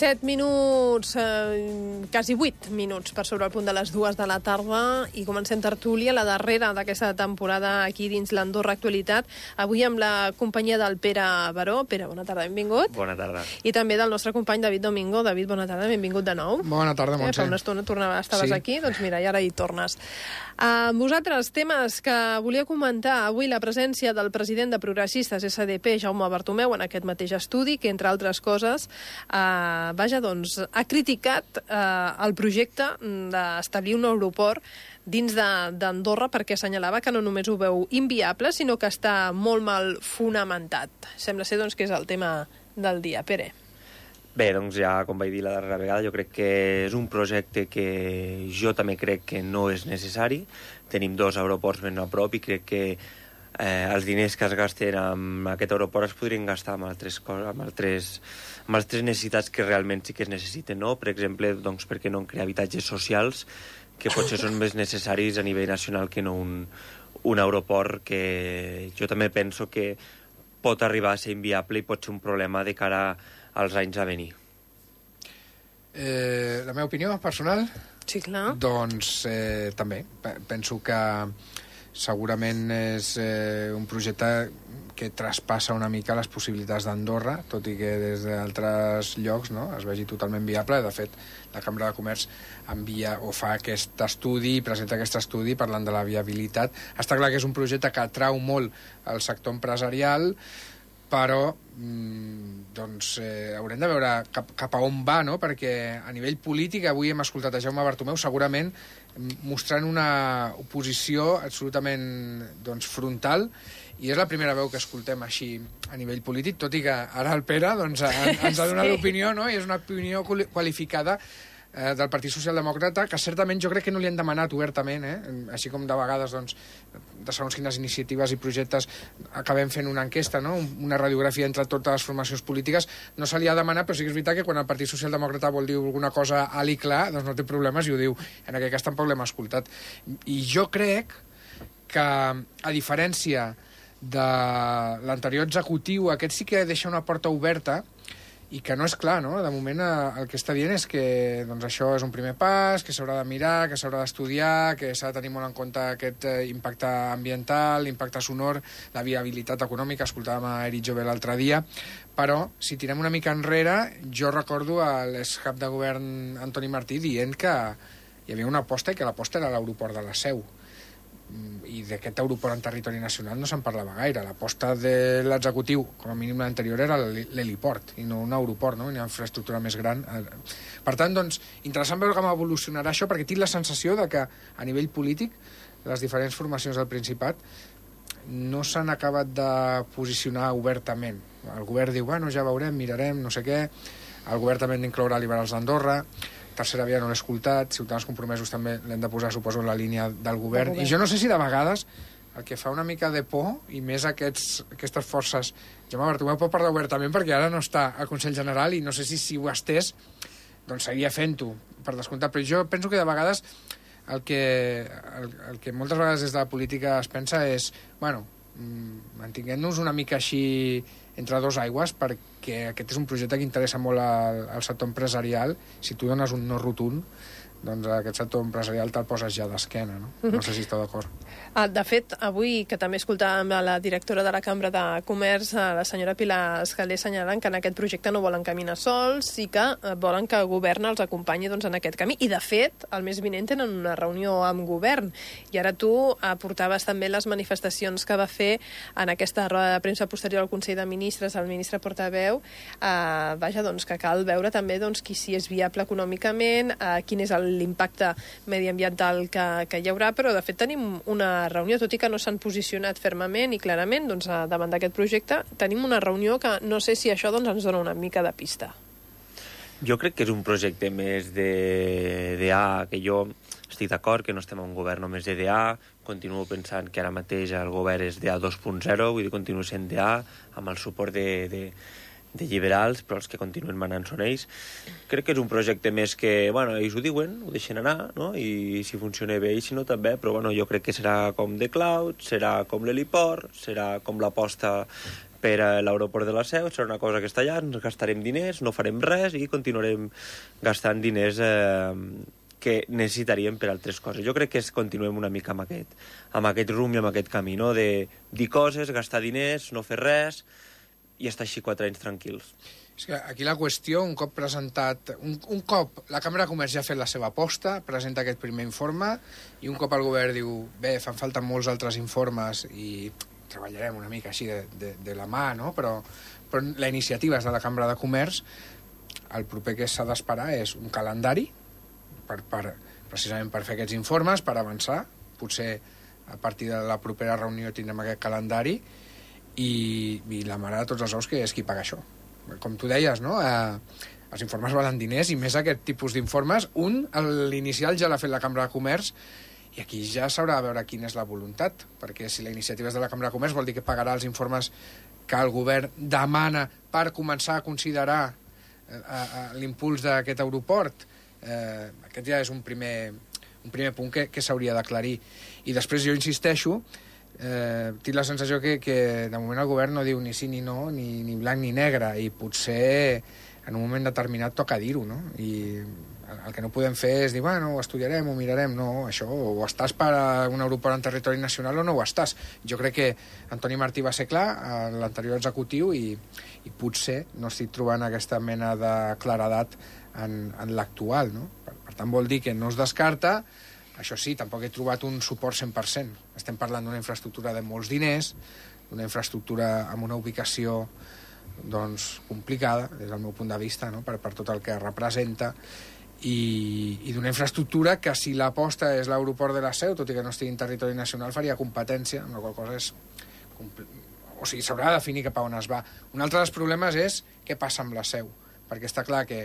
7 minuts, quasi 8 minuts per sobre el punt de les 2 de la tarda i comencem tertúlia, la darrera d'aquesta temporada aquí dins l'Andorra Actualitat. Avui amb la companyia del Pere Baró. Pere, bona tarda, benvingut. Bona tarda. I també del nostre company David Domingo. David, bona tarda, benvingut de nou. Bona tarda, Montse. Fa una estona estaves aquí, doncs mira, i ara hi tornes. Vosaltres, temes que volia comentar. Avui la presència del president de Progressistes SDP, Jaume Bartomeu, en aquest mateix estudi, que entre altres coses ha criticat el projecte d'establir un aeroport dins d'Andorra perquè assenyalava que no només ho veu inviable, sinó que està molt mal fonamentat. Sembla ser doncs, que és el tema del dia. Pere. Bé, doncs ja, com vaig dir la darrera vegada, jo crec que és un projecte que jo també crec que no és necessari. Tenim 2 aeroports ben a prop i crec que els diners que es gasten amb aquest aeroport es podrien gastar amb altres necessitats que realment sí que es necessiten, no? Per exemple, doncs, per què no crear habitatges socials que potser són més necessaris a nivell nacional que no un aeroport que jo també penso que pot arribar a ser inviable i pot ser un problema de cara als anys a venir. La meva opinió personal? Sí, clar. Doncs també. Penso que segurament és un projecte que traspassa una mica les possibilitats d'Andorra, tot i que des d'altres llocs es vegi totalment viable. De fet, la Cambra de Comerç envia o fa aquest estudi, presenta aquest estudi parlant de la viabilitat. Està clar que és un projecte que atrau molt el sector empresarial, però haurem de veure cap a on va, no? Perquè a nivell polític avui hem escoltat a Jaume Bartomeu segurament mostrant una oposició absolutament frontal, i és la primera veu que escoltem així a nivell polític, tot i que ara el Pere ens ha donat l'opinió, no? I és una opinió qualificada del Partit Socialdemòcrata, que certament jo crec que no li han demanat obertament, així com de vegades de segons quines iniciatives i projectes acabem fent una enquesta, no? Una radiografia entre totes les formacions polítiques, no se li ha demanat, però sí que és veritat que quan el Partit Socialdemòcrata vol dir alguna cosa alt i clar, doncs no té problemes i ho diu. En aquest cas tampoc l'hem escoltat. I jo crec que, a diferència de l'anterior executiu, aquest sí que deixa una porta oberta i que no és clar, no? De moment el que està dient és que això és un primer pas, que s'haurà de mirar, que s'haurà d'estudiar, que s'ha de tenir molt en compte aquest impacte ambiental, l'impacte sonor, la viabilitat econòmica. Escoltàvem a Eric Jové l'altre dia, però si tirem una mica enrere, jo recordo l'excap de govern Antoni Martí dient que hi havia una aposta i que l'aposta era l'aeroport de la Seu. I d'aquest aeroport en territori nacional no se'n parlava gaire. L'aposta de l'executiu, com a mínim l'anterior, era l'heliport i no un aeroport, no? Una infraestructura més gran. Per tant, interessant veure com evolucionarà això, perquè tinc la sensació de que a nivell polític les diferents formacions del Principat no s'han acabat de posicionar obertament. El govern diu, bueno, ja veurem, mirarem, no sé què. El govern també ha d'incloure liberals d'Andorra. Tercera via no l'he escoltat, Ciutadans Compromesos també l'hem de posar, suposo, en la línia del govern. I jo no sé si de vegades el que fa una mica de por, i més aquestes forces... Jaume Bartomeu pot parlar obertament perquè ara no està al Consell General i no sé si ho estés, doncs seguiria fent-ho, per descomptat. Però jo penso que de vegades el que moltes vegades des de la política es pensa és, bueno, mantinguem-nos una mica així entre dos aigües, perquè aquest és un projecte que interessa molt al sector empresarial. Si tu dones un no rotund, doncs aquest sector empresarial te'l poses ja d'esquena, no? No sé si esteu d'acord. De fet, avui, que també escoltàvem la directora de la Cambra de Comerç, la senyora Pilar Escalé, assenyalant que en aquest projecte no volen caminar sols i que volen que el govern els acompanyi en aquest camí. I, de fet, el mes vinent tenen una reunió amb govern. I ara tu aportaves també les manifestacions que va fer en aquesta roda de premsa posterior al Consell de Ministres, el ministre portaveu. Que cal veure també qui si és viable econòmicament, quin és l'impacte mediambiental que hi haurà, però de fet tenim una reunió, tot i que no s'han posicionat fermament i clarament davant d'aquest projecte, tenim una reunió que no sé si això ens dona una mica de pista. Jo crec que és un projecte més d'EDA, que jo estic d'acord que no estem en un govern només d'EDA, continuo pensant que ara mateix el govern és d'EDA 2.0, vull dir, continuo sent d'EDA amb el suport de liberals, però els que continuen manant són ells. Crec que és un projecte més que, bueno, ells ho diuen, ho deixen anar, no? I si funciona bé i si no també, però bueno, jo crec que serà com The Cloud, serà com l'heliport, serà com l'aposta per a l'aeroport de la Seu, serà una cosa que està allà, ens gastarem diners, no farem res i continuarem gastant diners que necessitaríem per altres coses. Jo crec que continuem una mica amb aquest rumb i amb aquest camí, no? De dir coses, gastar diners, no fer res i estar així 4 anys tranquils. És que aquí la qüestió, un cop presentat... Un cop la Cambra de Comerç ja ha fet la seva aposta, presenta aquest primer informe, i un cop el govern diu, bé, fan falta molts altres informes i treballarem una mica així de la mà, no? Però la iniciativa és de la Cambra de Comerç, el proper que s'ha d'esperar és un calendari, precisament per fer aquests informes, per avançar. Potser a partir de la propera reunió tindrem aquest calendari i la mare de tots els ous, que és qui paga això. Com tu deies, no? Els informes valen diners i més aquest tipus d'informes. L'inicial ja l'ha fet la Cambra de Comerç i aquí ja s'haurà de veure quina és la voluntat, perquè si la iniciativa és de la Cambra de Comerç vol dir que pagarà els informes que el govern demana per començar a considerar l'impuls d'aquest aeroport. Aquest ja és un primer punt que s'hauria d'aclarir. I després jo insisteixo, tinc la sensació que de moment el govern no diu ni sí ni no, ni blanc ni negre, i potser en un moment determinat toca dir-ho, no? I el que no podem fer és dir, bueno, ho estudiarem, ho mirarem. No, això, o estàs per a un aeroport en territori nacional o no ho estàs. Jo crec que Antoni Martí va ser clar a l'anterior executiu i potser no estic trobant aquesta mena de claredat en l'actual, no? Per tant, vol dir que no es descarta. Això sí, tampoc he trobat un suport 100%. Estem parlant d'una infraestructura de molts diners, d'una infraestructura amb una ubicació doncs, complicada, des del meu punt de vista, no? per tot el que representa, i d'una infraestructura que, si l'aposta és l'aeroport de la Seu, tot i que no estigui en territori nacional, faria competència, amb la qual cosa és... O sigui, s'haurà de definir cap a on es va. Un altre dels problemes és què passa amb la Seu, perquè està clar que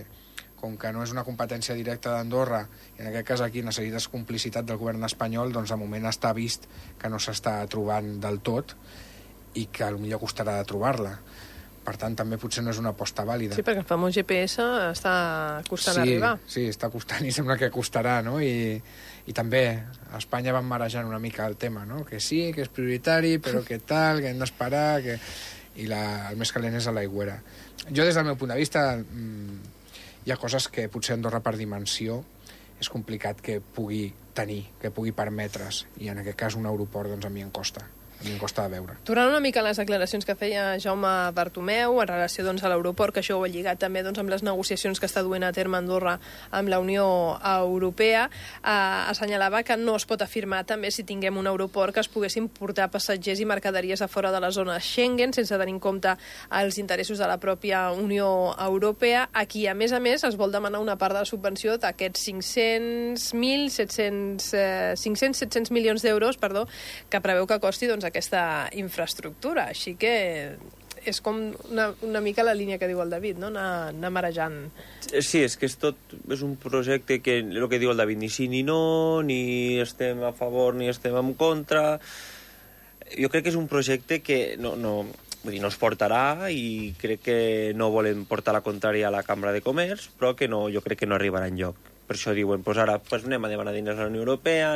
com que no és una competència directa d'Andorra, i en aquest cas aquí necessites complicitat del govern espanyol, doncs de moment està vist que no s'està trobant del tot i que potser costarà de trobar-la. Per tant, també potser no és una aposta vàlida. Sí, perquè el famós GPS està costant arribar. Sí, està costant i sembla que costarà, no? I també a Espanya van marejant una mica el tema, no? Que sí, que és prioritari, però que tal, que hem d'esperar, que... I el més calent és a l'aigüera. Jo, des del meu punt de vista, hi ha coses que potser Andorra per dimensió és complicat que pugui tenir, que pugui permetre's, i en aquest cas un aeroport doncs a mi em costa de veure. Tornant una mica a les declaracions que feia Jaume Bartomeu en relació doncs, a l'aeroport, que això ho ha lligat també doncs, amb les negociacions que està duent a terme Andorra amb la Unió Europea, assenyalava que no es pot afirmar també si tinguem un aeroport que es poguessin portar passatgers i mercaderies a fora de la zona Schengen sense tenir en compte els interessos de la pròpia Unió Europea. Aquí, a més, es vol demanar una part de la subvenció d'aquests 500-700 milions d'euros, que preveu que costi doncs, aquesta infraestructura. Així que és com una mica la línia que diu el David, no? Anar marejant. Sí, és que és un projecte que, el que diu el David, ni sí ni no, ni estem a favor ni estem en contra. Jo crec que és un projecte que no es portarà, i crec que no volen portar la contrària a la Cambra de Comerç, però que jo crec que no arribarà enlloc. Per això diuen, ara anem a demanar diners a la Unió Europea,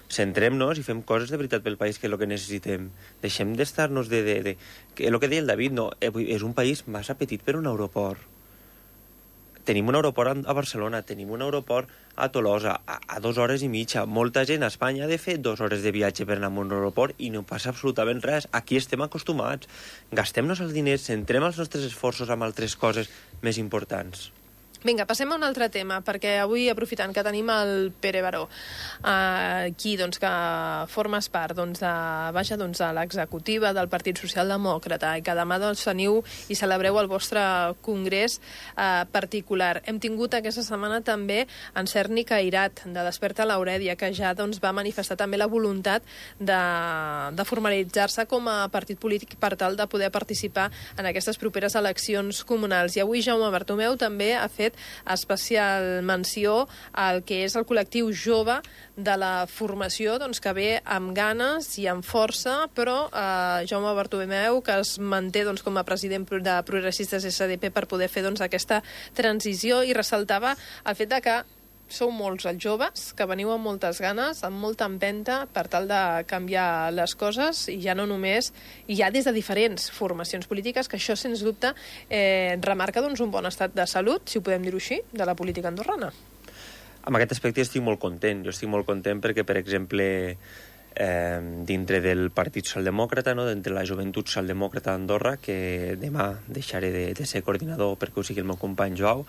centrem-nos i fem coses de veritat pel país, que és el que necessitem. Deixem d'estar-nos el que deia el David, és un país massa petit per un aeroport. Tenim un aeroport a Barcelona, tenim un aeroport a Tolosa, a 2 hores i mitja. Molta gent a Espanya ha de fer 2 hores de viatge per anar a un aeroport i no passa absolutament res. Aquí estem acostumats. Gastem-nos els diners, centrem els nostres esforços en altres coses més importants. Vinga, passem a un altre tema, perquè avui, aprofitant que tenim el Pere Baró, aquí, que formes part de l'executiva del Partit Socialdemòcrata, i que demà teniu i celebreu el vostre congrés particular. Hem tingut aquesta setmana també en Cerny Cairat, de Desperta l'Aurèdia, que ja va manifestar també la voluntat de formalitzar-se com a partit polític per tal de poder participar en aquestes properes eleccions comunals. I avui Jaume Bartomeu també ha fet especial menció al que és el col·lectiu jove de la formació, que ve amb ganes i amb força, però Jaume Bartomeu, que es manté com a president de Progressistes SDP per poder fer aquesta transició, i ressaltava el fet de que sou molts els joves que veniu amb moltes ganes, amb molta empenta per tal de canviar les coses i ja no només, i ja des de diferents formacions polítiques, que això, sens dubte, remarca doncs, un bon estat de salut, si ho podem dir-ho així, de la política andorrana. En aquest aspecte estic molt content. Jo estic molt content perquè, per exemple, dintre del Partit Socialdemòcrata, no? Dintre la Joventut Socialdemòcrata d'Andorra, que demà deixaré de ser coordinador perquè ho sigui el meu company Joao,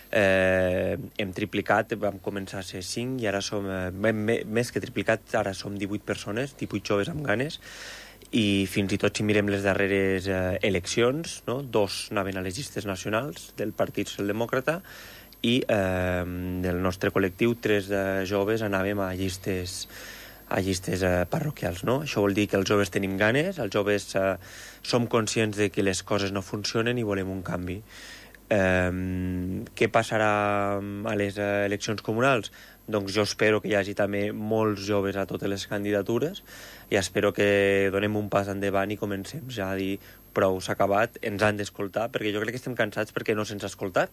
hem triplicat, vam començar a ser 5 i ara som, més que triplicat, ara som 18 persones, 18 joves amb ganes, i fins i tot si mirem les darreres eleccions, no? 2 anaven a les llistes nacionals del Partit Socialdemòcrata i del nostre col·lectiu 3 joves anàvem a llistes parroquials, no? Això vol dir que els joves tenim ganes, els joves som conscients de que les coses no funcionen i volem un canvi. Què passarà a les eleccions comunals? Doncs jo espero que hi hagi també molts joves a totes les candidatures i espero que donem un pas endavant i comencem ja a dir prou, s'ha acabat, ens han d'escoltar, perquè jo crec que estem cansats perquè no se'ns ha escoltat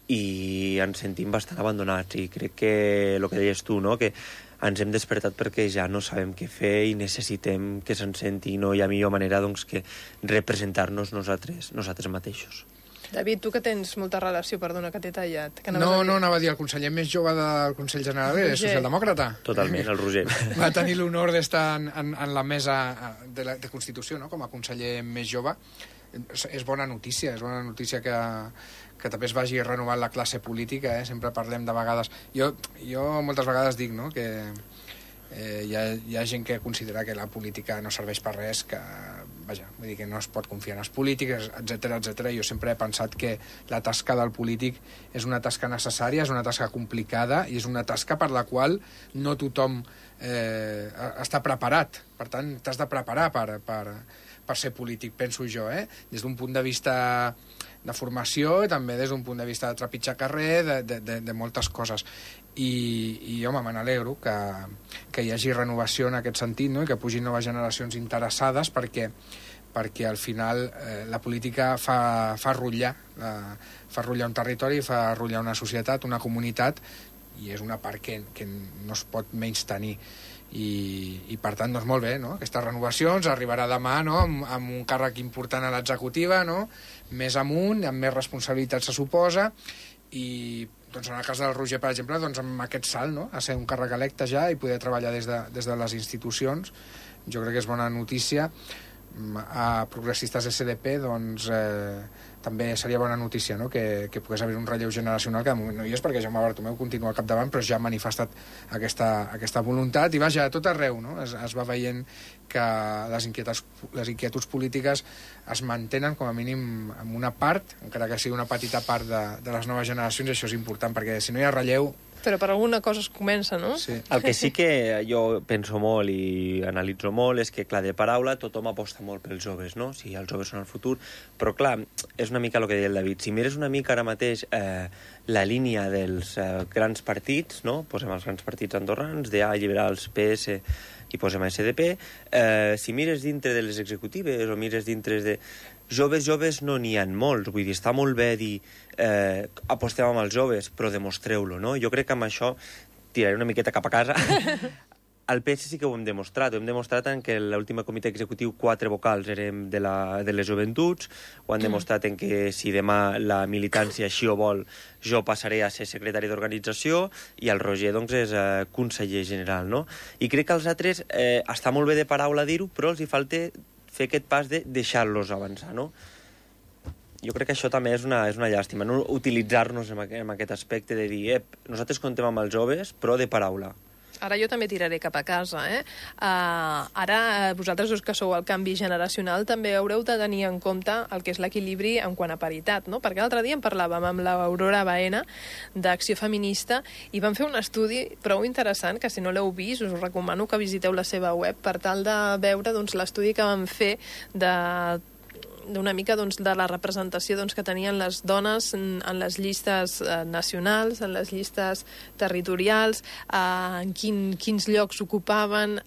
i ens sentim bastant abandonats i crec que el que deies tu, no? Que ens hem despertat perquè ja no sabem què fer i necessitem que se'n senti i no hi ha millor manera doncs, que representar-nos nosaltres mateixos. David, tu que tens molta relació, perdona que t'he tallat. No, anava a dir, el conseller més jove del Consell General és socialdemòcrata. Totalment, el Roger. Va tenir l'honor d'estar en la mesa de Constitució, no?, com a conseller més jove. És bona notícia que també es vagi renovant la classe política, sempre parlem de vegades... Jo moltes vegades dic, no?, que hi ha gent que considera que la política no serveix per res, que, vaja, vull dir que no es pot confiar en els polítics, etc. Jo sempre he pensat que la tasca del polític és una tasca necessària, és una tasca complicada i és una tasca per la qual no tothom està preparat. Per tant, t'has de preparar per ser polític, penso jo, des d'un punt de vista de formació i també des d'un punt de vista de trepitjar carrer, de moltes coses. I home, me n'alegro que hi hagi renovació en aquest sentit, no?, i que pugin noves generacions interessades perquè al final la política fa rotllar un territori, fa rotllar una societat, una comunitat, i és una part que no es pot menys tenir. I per tant, doncs molt bé, no?, aquesta renovació ens arribarà demà, no?, amb un càrrec important a l'executiva, no?, més amunt, amb més responsabilitat se suposa, i doncs en el cas del Roger, per exemple, doncs amb aquest salt, no?, a ser un càrrec electe ja i poder treballar des de les institucions, jo crec que és bona notícia. A Progressistes SDP, doncs també seria bona notícia, no?, que pogués haver un relleu generacional, que de moment no hi és perquè Jaume Bartomeu continua al capdavant, però ja ha manifestat aquesta voluntat, i vaja, a tot arreu, no?, es va veient que les inquietuds polítiques es mantenen com a mínim en una part, encara que sigui una petita part de les noves generacions, i això és important, perquè si no hi ha relleu... Però per alguna cosa es comença, no? Sí. El que sí que jo penso molt i analitzo molt és que, clar, de paraula tothom aposta molt pels joves, no? Si els joves són el futur, però clar, és una mica el que deia el David. Si mires una mica ara mateix la línia dels grans partits, no? Posem els grans partits andorrans, DA, Liberals, PS i posem SDP, si mires dintre de les executives o mires dintre de... Joves no n'hi ha molts, vull dir, està molt bé dir apostem amb els joves, però demostreu-lo, no? Jo crec que amb això tiraré una miqueta cap a casa. Al PS sí que ho hem demostrat en que l'últim comitè executiu 4 vocals érem de les joventuts, ho han demostrat en que si demà la militància així ho vol, jo passaré a ser secretari d'organització i el Roger doncs és conseller general, no? I crec que els altres està molt bé de paraula dir-ho, però els hi falta fer aquest pas de deixar-los avançar, no? Jo crec que això també és una llàstima, no utilitzar-nos en aquest aspecte de dir nosaltres contem amb els joves, però de paraula. Ara jo també tiraré cap a casa, Ara, vosaltres dos que sou el canvi generacional, també haureu de tenir en compte el que és l'equilibri en quant a paritat, no? Perquè l'altre dia en parlàvem amb l'Aurora Baena, d'Acció Feminista, i vam fer un estudi prou interessant, que si no l'heu vist, us recomano que visiteu la seva web per tal de veure doncs, l'estudi que vam fer de d'una mica doncs, de la representació doncs, que tenien les dones en les llistes nacionals, en les llistes territorials, en quins llocs ocupaven,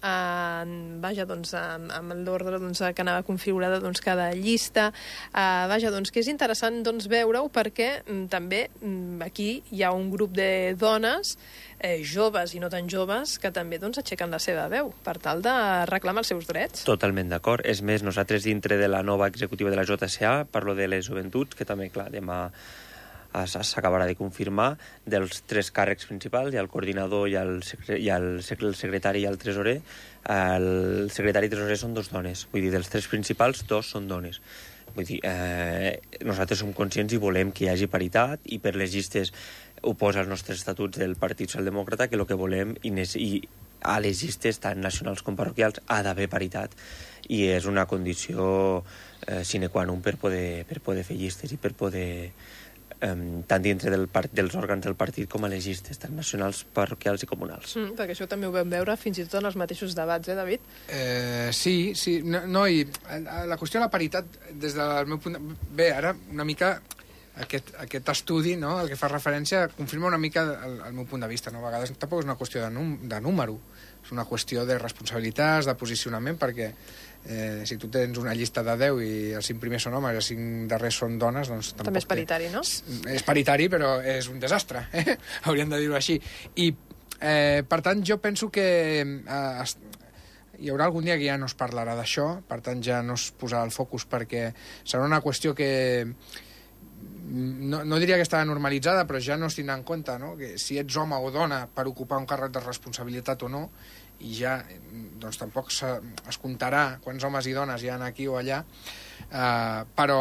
vaja, doncs, amb l'ordre doncs, que anava configurada doncs, cada llista. Vaja, doncs, que és interessant doncs, veure-ho perquè també aquí hi ha un grup de dones joves i no tan joves que també doncs, aixequen la seva veu per tal de reclamar els seus drets. Totalment d'acord. És més, nosaltres dintre de la nova executiva de la JCA parlo de les joventuts, que també, clar, demà s'acabarà de confirmar, dels 3 càrrecs principals, hi ha el coordinador i el secretari i el tresorer. El secretari i tresorer són 2 dones, vull dir, dels 3 principals 2 són dones. Vull dir, nosaltres som conscients i volem que hi hagi paritat, i per les llistes ho posa als nostres estatuts del Partit Socialdemòcrata, que el que volem, i a les llistes tant nacionals com parroquials ha d'haver paritat, i és una condició sine qua non per poder fer llistes i per poder tant dintre dels òrgans del partit com a les llistes, tant nacionals, parroquials i comunals. Perquè això també ho vam veure fins i tot en els mateixos debats, David? Sí. No, i la qüestió de la paritat, des del meu punt Bé, ara una mica aquest estudi, no?, el que fa referència, confirma una mica el meu punt de vista, no? A vegades tampoc és una qüestió de número, és una qüestió de responsabilitats, de posicionament, perquè si tu tens una llista de 10 i els 5 primers són homes i els 5 darrers són dones, doncs tampoc... També és paritari, no? És paritari, però és un desastre, hauríem de dir-ho així. I, per tant, jo penso que hi haurà algun dia que ja no es parlarà d'això, per tant, ja no es posarà el focus, perquè serà una qüestió que... No diria que està normalitzada, però ja no es tindrà en compte, no?, que si ets home o dona per ocupar un càrrec de responsabilitat o no, i ja doncs tampoc es comptarà quants homes i dones hi ha aquí o allà, però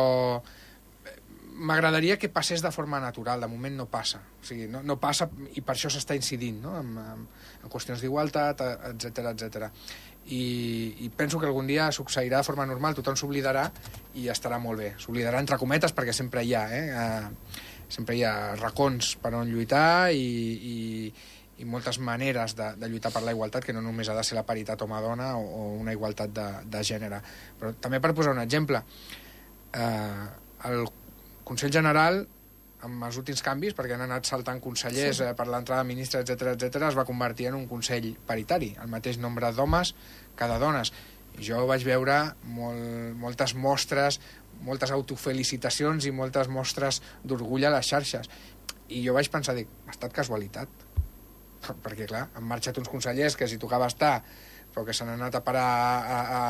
m'agradaria que passés de forma natural. De moment no passa, o sigui, no passa, i per això s'està incidint, no?, en qüestions d'igualtat, etc. I penso que algun dia succeirà de forma normal, tothom s'oblidarà i estarà molt bé. S'oblidarà entre cometes, perquè sempre hi ha, sempre hi ha racons per on lluitar i moltes maneres de lluitar per la igualtat, que no només ha de ser la paritat home-dona o una igualtat de gènere. Però també, per posar un exemple, el Consell General, amb els últims canvis, perquè han anat saltant consellers per l'entrada de ministres, etc., es va convertir en un consell paritari, el mateix nombre d'homes que de dones. Jo vaig veure moltes mostres, moltes autofelicitacions i moltes mostres d'orgull a les xarxes. I jo vaig pensar, ha estat casualitat. Perquè, clar, han marxat uns consellers que si tocava estar, però que s'han anat a parar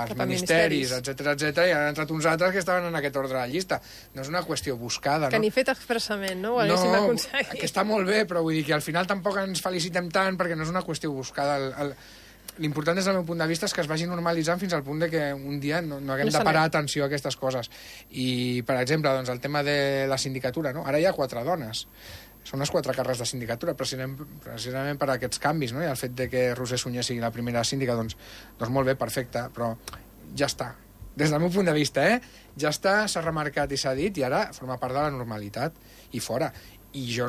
als ministeris, etc., i han entrat uns altres que estaven en aquest ordre de llista. No és una qüestió buscada, no? Que ni fet expressament, no? Ho haguéssim aconseguit. Que està molt bé, però vull dir que al final tampoc ens felicitem tant, perquè no és una qüestió buscada. L'important, des del meu punt de vista, és que es vagi normalitzant fins al punt de que un dia no haguem de parar atenció a aquestes coses. I, per exemple, doncs, el tema de la sindicatura, no? Ara hi ha 4 dones. Són les 4 càrrecs de sindicatura, precisament per aquests canvis, no? I el fet de que Roser Sunyer sigui la primera síndica, doncs molt bé, perfecte, però ja està. Des del meu punt de vista, ja està, s'ha remarcat i s'ha dit, i ara forma part de la normalitat, i fora. I jo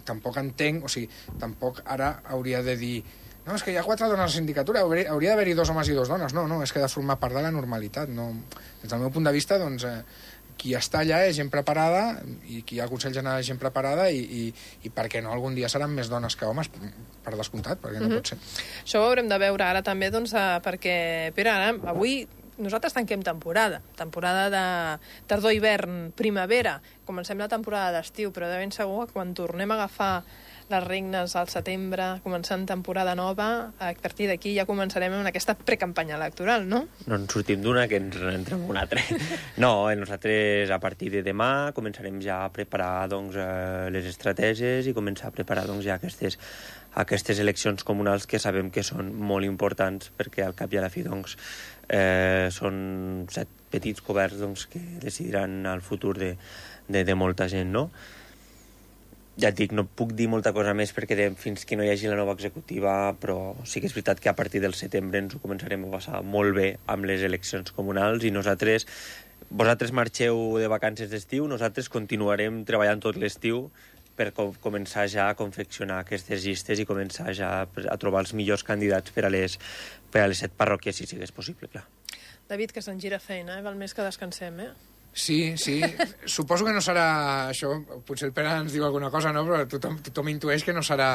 tampoc entenc, o sigui, tampoc ara hauria de dir no, és que hi ha 4 dones a la sindicatura, hauria d'haver-hi 2 homes i 2 dones. No, és que ha de formar part de la normalitat. No. Des del meu punt de vista, doncs, qui està allà és gent preparada, i qui hi ha al Consell General és gent preparada, i per què no algun dia seran més dones que homes, per descomptat, perquè no pot ser. Això ho haurem de veure ara també, doncs, perquè, Pere, avui nosaltres tanquem temporada de tardor-hivern, primavera, comencem la temporada d'estiu, però de ben segur que quan tornem a agafar les regnes al setembre, començant temporada nova, a partir d'aquí ja començarem amb aquesta precampanya electoral, no? No ens sortim d'una que ens entrem una altra. No, nosaltres a partir de demà començarem ja a preparar doncs, les estratègies i començar a preparar doncs, ja aquestes eleccions comunals que sabem que són molt importants perquè al cap i a la fi doncs, són 7 petits governs doncs, que decidiran el futur de molta gent, no? Ja et dic, no puc dir molta cosa més perquè fins que no hi hagi la nova executiva, però sí que és veritat que a partir del setembre ens ho començarem a passar molt bé amb les eleccions comunals i vosaltres marxeu de vacances d'estiu, nosaltres continuarem treballant tot l'estiu per començar ja a confeccionar aquestes llistes i començar ja a trobar els millors candidats per a les 7 parròquies, si sigués possible, clar. David, que se'n gira feina, val més que descansem, Sí. Suposo que no serà això, potser el Pere ens diu alguna cosa, no? Però tothom intueix que no serà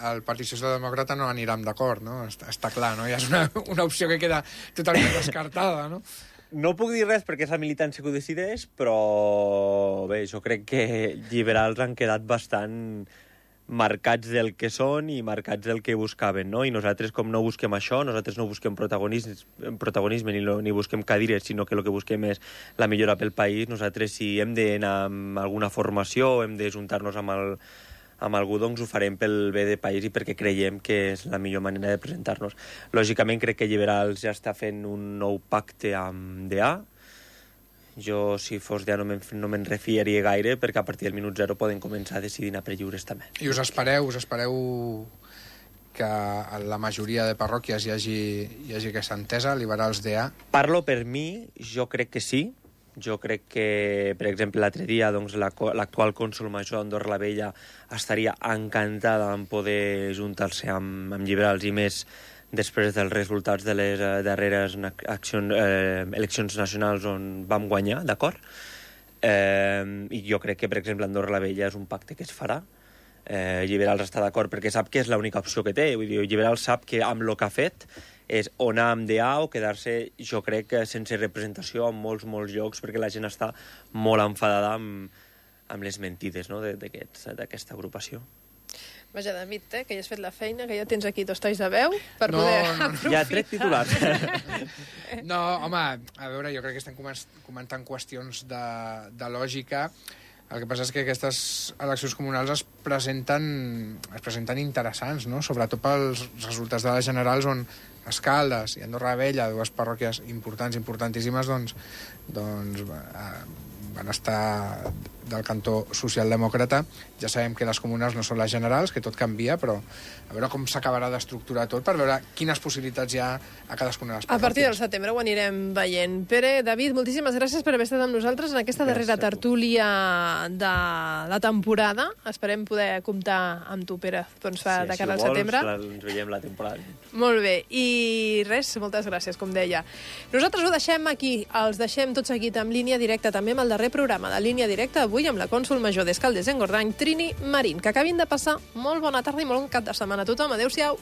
el Partit Socialdemòcrata, no anirem d'acord, no? Està clar, no? Ja és una opció que queda totalment descartada, no? No puc dir res perquè és la militància que ho decideix, però bé, jo crec que liberals han quedat bastant marcats del que són i marcats del que buscaven, no? I nosaltres, com no busquem això, nosaltres no busquem protagonisme ni busquem cadires, sinó que el que busquem és la millora pel país. Nosaltres, si hem d'anar amb alguna formació, hem de juntar-nos amb algú, doncs ho farem pel bé del país i perquè creiem que és la millor manera de presentar-nos. Lògicament, crec que Liberals ja està fent un nou pacte amb DA. Jo, si fos DA, no me'n refiaria gaire, perquè a partir del minut 0 poden començar a decidir anar per lliures també. I us espereu que a la majoria de parròquies hi hagi aquesta entesa, Liberals DA? Parlo per mi, jo crec que sí. Jo crec que, per exemple, l'altre dia doncs, l'actual cònsol major Andorra la Vella estaria encantada en poder juntar-se amb Liberals i més després dels resultats de les darreres eleccions nacionals on vam guanyar, d'acord? I jo crec que, per exemple, Andorra la Vella és un pacte que es farà. Liberals està d'acord perquè sap que és l'única opció que té. Vull dir, Liberals sap que amb el que ha fet és o anar amb DA o quedar-se, jo crec, sense representació en molts llocs, perquè la gent està molt enfadada amb les mentides, no?, d'aquesta agrupació. Vaja, David, que ja has fet la feina, que ja tens aquí 2 talls de veu per poder aprofitar. Ja trec titulars. No, home, a veure, jo crec que estem comentant qüestions de lògica. El que passa és que aquestes eleccions comunals es presenten interessants, no? Sobretot pels resultats de les generals, on Escaldes i Andorra la Vella, 2 parròquies importantíssimes, doncs van estar del cantó socialdemòcrata. Ja sabem que les comunals no són les generals, que tot canvia, però a veure com s'acabarà d'estructurar tot per veure quines possibilitats hi ha a cadascuna de les parròquies. A partir del setembre ho anirem veient. Pere, David, moltíssimes gràcies per haver estat amb nosaltres en aquesta darrera tertúlia de la temporada. Esperem poder comptar amb tu, Pere, doncs, de cara al setembre. Ens veiem la temporada. Molt bé. I res, moltes gràcies, com deia. Nosaltres ho deixem aquí. Els deixem tot seguit amb Línia Directa, també amb el darrer programa de Línia Directa, avui amb la cònsol major d'Escaldes-Engordany, Trini Marín. Que acabin de passar molt bona tarda i molt bon cap de setmana a tothom. Adéu-siau.